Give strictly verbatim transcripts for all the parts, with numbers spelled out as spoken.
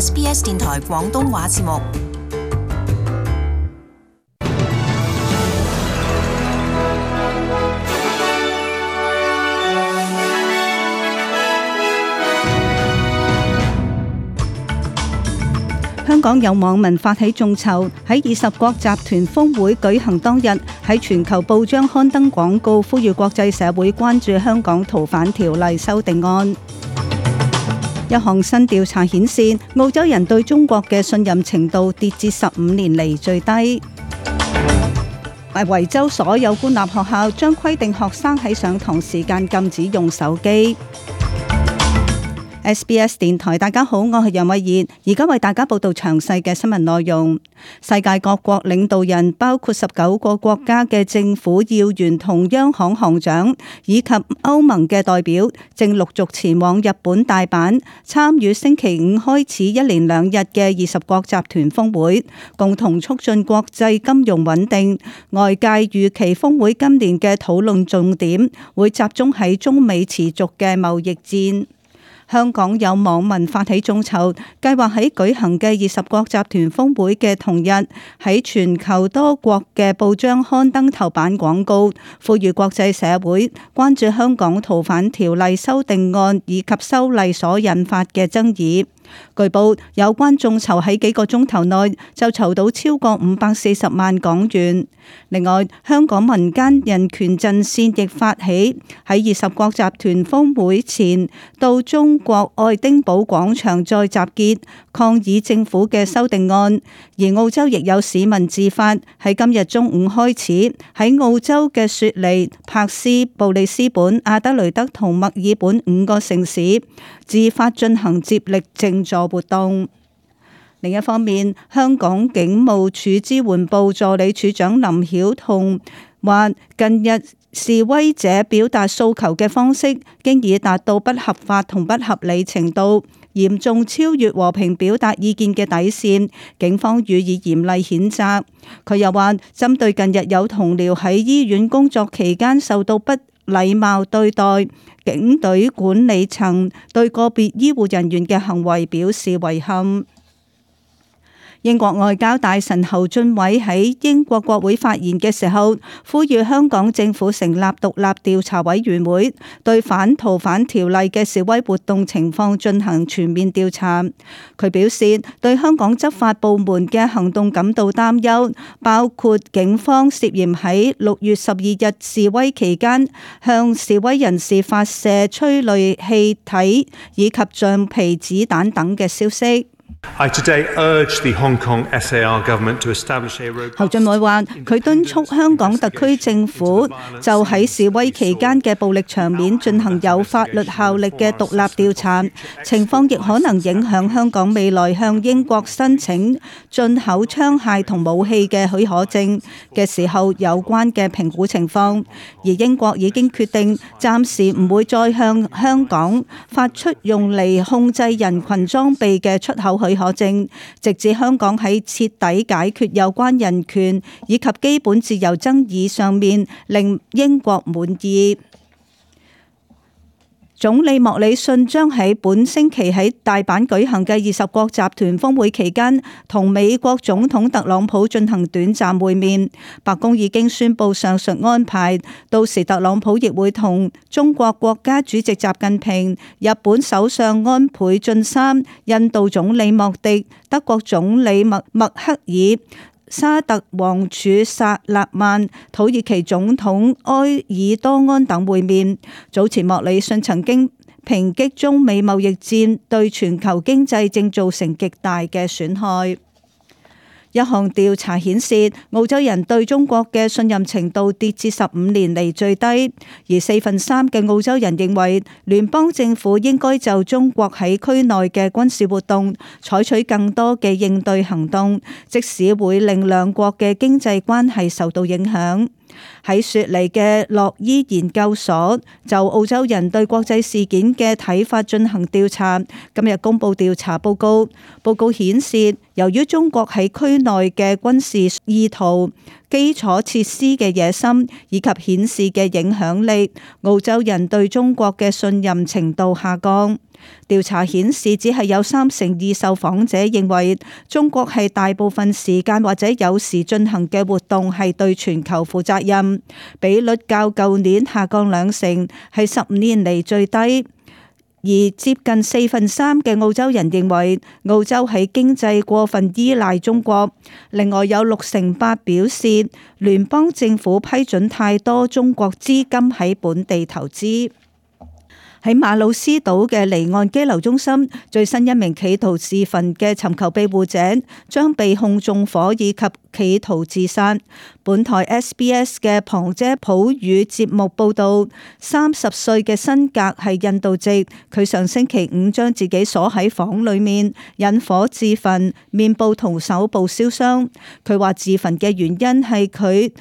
S B S 電台廣東話節目。香港有網民發起眾籌，喺二十國集團峰會舉行當日，喺全球報章刊登廣告，呼籲國際社會關注香港逃犯條例修訂案。一項新調查顯示，澳洲人對中國嘅信任程度跌至十五年嚟最低。維州所有官立學校將規定學生喺上堂時間禁止用手機。S B S 電台，大家好，我係楊慧儀，而家為大家報道詳細嘅新聞內容。世界各國領導人，包括十九個國家嘅政府要員同央行行長，以及歐盟嘅代表，正陸續前往日本大阪參與星期五開始一連兩日嘅二十國集團峰會，共同促進國際金融穩定。外界預期峰會今年嘅討論重點會集中喺中美持續嘅貿易戰。香港有網民發起眾籌，計劃喺舉行嘅二十國集團峰會嘅同日，喺全球多國嘅報章刊登頭版廣告，呼籲國際社會關注香港逃犯條例修訂案以及修例所引發嘅爭議。據報，有關眾籌喺幾個鐘頭內就籌到超過五百四十萬港元。另外，香港民間人權陣線亦發起喺二十國集團峰會前到中國愛丁堡廣場再集結，抗議政府嘅修訂案。而澳洲亦有市民自發喺今日中午開始喺澳洲嘅雪梨、柏斯、布里斯本、阿德雷德同墨爾本五個城市自發進行接力靜坐活動。另一方面，香港警務處支援部助理處長林曉彤話，近日示威者表達訴求嘅方式，經已達到不合法同不合理程度，嚴重超越和平表達意見嘅底線，警方予以嚴厲譴責。佢又話，針對近日有同僚喺醫院工作期間受到不禮貌對待，警隊管理層對個別醫護人員嘅行為表示遺憾。英國外交大臣侯俊偉喺英國國會發言嘅時候，呼籲香港政府成立獨立調查委員會，對反逃犯條例嘅示威活動情況進行全面調查。佢表示，對香港執法部門嘅行動感到擔憂，包括警方涉嫌喺六月十二日示威期間向示威人士發射催淚氣體以及橡皮子彈等嘅消息。I today urge the Hong Kong S A R government to establish a robust... 侯俊偉話：佢敦促香港特區政府就喺示威期間嘅暴力場面進行有法律效力嘅獨立調查，情況亦可能影響香港未來向英國申請進口槍械同武器嘅許可證嘅時候有關嘅評估情況。而英國已經決定暫時唔會再向香港發出用嚟控制人群裝備嘅出口許可證，直至香港喺徹底解決有關人權以及基本自由爭議上面令英國滿意。總理莫里遜將喺本星期喺大阪舉行嘅二十國集團峰會期間，同美國總統特朗普進行短暫會面。白宮已經宣布上述安排，到時特朗普亦會同中國國家主席習近平、日本首相安倍晉三、印度總理莫迪、德國總理默默克爾、沙特王儲薩勒曼、土耳其總統埃爾多安等會面。早前莫里遜曾經抨擊中美貿易戰對全球經濟正造成極大嘅損害。一項調查顯示，澳洲人對中國嘅信任程度跌至十五年嚟最低，而四分三嘅澳洲人認為聯邦政府應該就中國喺區內嘅軍事活動採取更多嘅應對行動，即使會令兩國嘅經濟關係受到影響。喺雪梨嘅洛伊研究所就澳洲人對國際事件嘅睇法進行調查，今日公布調查報告。報告顯示，由於中國喺區內嘅軍事意圖、基礎設施嘅野心以及顯示嘅影響力，澳洲人對中國嘅信任程度下降。調查顯示，只係有三成二受訪者認為中國係大部分時間或者有時進行嘅活動係對全球負責任，比率較舊年下降兩成，係十五年嚟最低。而接近四分三嘅澳洲人認為澳洲喺經濟過分依賴中國，另外有六成八表示聯邦政府批准太多中國資金喺本地投資。喺馬魯斯島嘅離岸羈留中心，最新一名企圖自焚嘅尋求庇護者將被控縱火以及企圖自殺。本台 S B S 嘅旁遮普語節目報道，三十歲嘅辛格係印度籍，佢上星期五將自己鎖喺房裏面，引火自焚，面部同手部燒傷。佢話自焚嘅原因係佢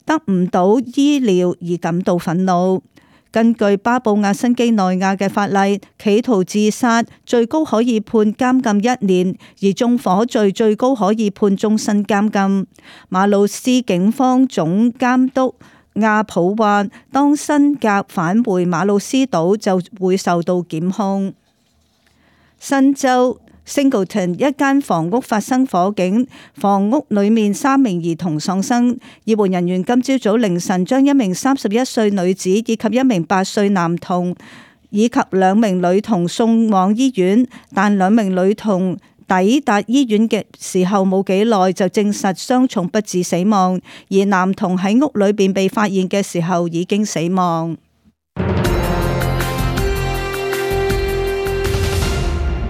得唔到醫療而感到憤怒。根據巴布亞新畿內亞嘅法例，企圖自殺最高可以判監禁一年，而縱火罪最高可以判終身監禁。馬魯斯警方總監督亞普話，當辛格返回馬魯斯島就會受到檢控。新州Singleton 一間房屋發生火警，房屋裏面三名兒童喪生。醫護人員今朝早凌晨將一名三十一歲女子以及一名八歲男童以及兩名女童送往醫院，但兩名女童抵達醫院嘅時候冇幾耐就證實傷重不治死亡，而男童喺屋裏邊被發現嘅時候已經死亡。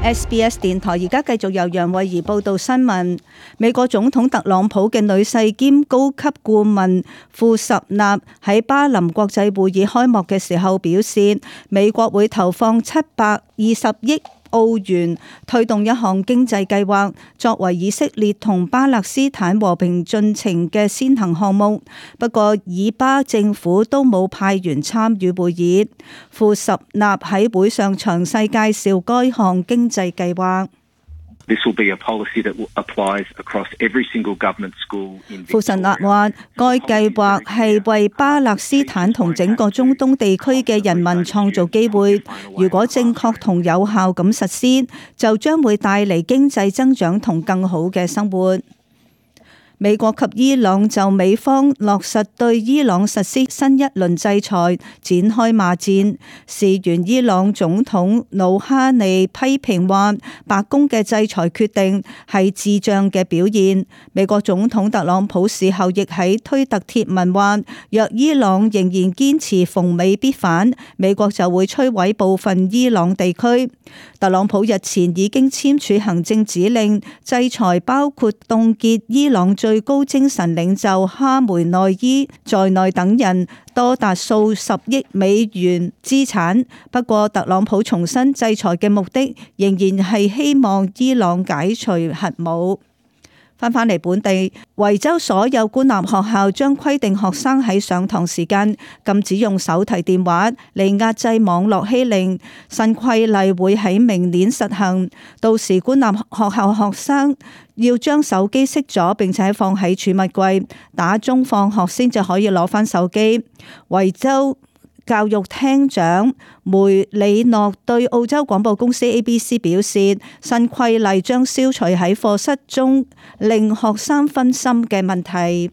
S B S 電台而家繼續由楊慧儀報道新聞。美國總統特朗普嘅女婿兼高級顧問庫什納喺巴林國際會議開幕嘅時候表示，美國會投放七百二十億澳元推動一項經濟計劃，作為以色列同巴勒斯坦和平進程嘅先行項目。不過以巴政府都冇派員參與會議。庫什納喺會上詳細介紹該項經濟計劃。庫什納話，該計劃係為巴勒斯坦同整個中東地區嘅人民創造機會。如果正確同有效咁實施，就將會帶嚟經濟增長同更好嘅生活。美國及伊朗就美方落實對伊朗實施新一輪制裁展開罵戰。事源伊朗總統魯哈尼批評話，白宮嘅制裁決定係智障嘅表現。美國總統特朗普事後亦喺推特貼文話，若伊朗仍然堅持逢美必反，美國就會摧毀部分伊朗地區。特朗普日前已經簽署行政指令，制裁包括凍結伊朗最高精神領袖哈梅內伊在內等人多達數十億美元資產。不過特朗普重申，制裁嘅目的仍然係希望伊朗解除核武。翻返嚟本地，維州所有官立學校將規定學生喺上堂時間禁止用手提電話嚟壓制網絡欺凌。新規例會喺明年實行，到時官立學校學生要將手機熄咗，並且放喺儲物櫃，打鐘放學先至可以攞返手機。維州教育廳長梅里諾對澳洲廣播公司 A B C 表示，新規例將消除喺課室中令學生分心嘅問題。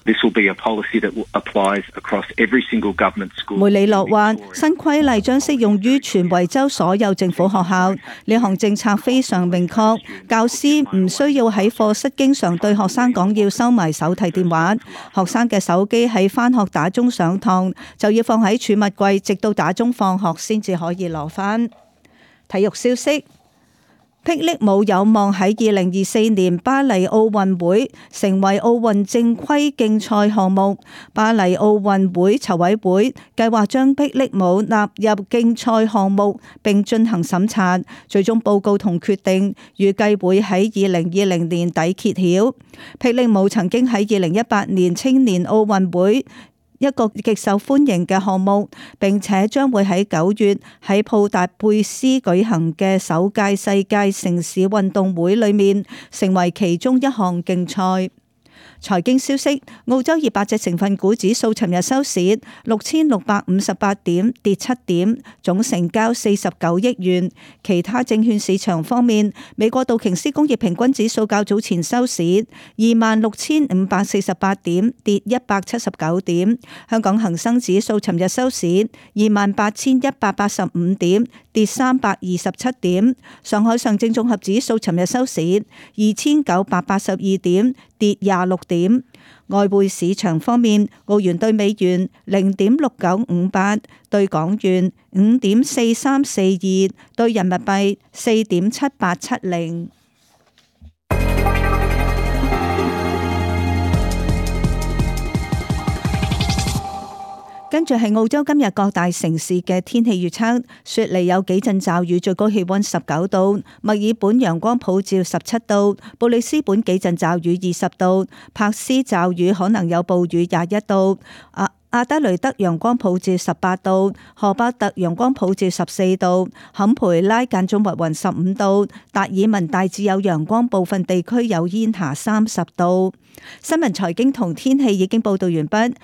This will be a policy that applies across every single government school. 梅里諾話，新規例將適用於全維州所有政府學校。呢項政策非常明確，教師唔需要喺課室經常對學生講要收埋手提電話。學生嘅手機喺返學打鐘上堂就要放喺儲物櫃，直到打鐘放學先至可以攞返。體育消息。霹靂舞有望喺二零二四年巴黎奧運會成為奧運正規競賽項目。巴黎奧運會籌委會計劃將霹靂舞納入競賽項目並進行審查，最終報告同決定預計會喺二零二零年底揭曉。霹靂舞曾經喺二零一八年青年奧運會一個極受歡迎嘅項目，並且將會喺九月喺布達佩斯舉行嘅首屆世界城市運動會裏面成為其中一項競賽。財經消息，澳洲二百隻成分股指數尋日收市六千六百五十八點，跌七點，總成交四十九億元。其他證券市場方面，美國道瓊斯工業平均指數較早前收市二萬六千五百四十八點，跌一百七十九點。香港恒生指數尋日收市二萬八千一百八十五點，跌三百二十七點。上海上證綜合指數尋日收市二千九百八十二點，跌廿六點。外匯市場方面，澳元兌美元零點六九五八，兌港元五點四三四二，兌人民幣四點七八七零。跟住係澳洲今日各大城市嘅天氣預測，雪梨有幾陣驟雨，最高氣溫十九度；墨爾本陽光普照十七度；布里斯本幾陣驟雨二十度；柏斯驟雨可能有暴雨廿一度；阿阿德雷德陽光普照十八度；荷巴特陽光普照十四度；坎培拉間中密雲十五度；達爾文大致有陽光，部分地區有煙霞三十度。新聞財經同天氣已經報道完畢。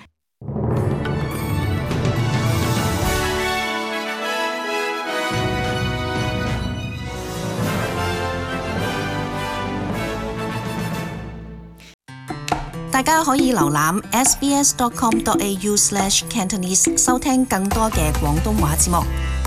大家可以瀏覽 s b s dot com dot a u slash cantonese 收聽更多嘅廣東話節目。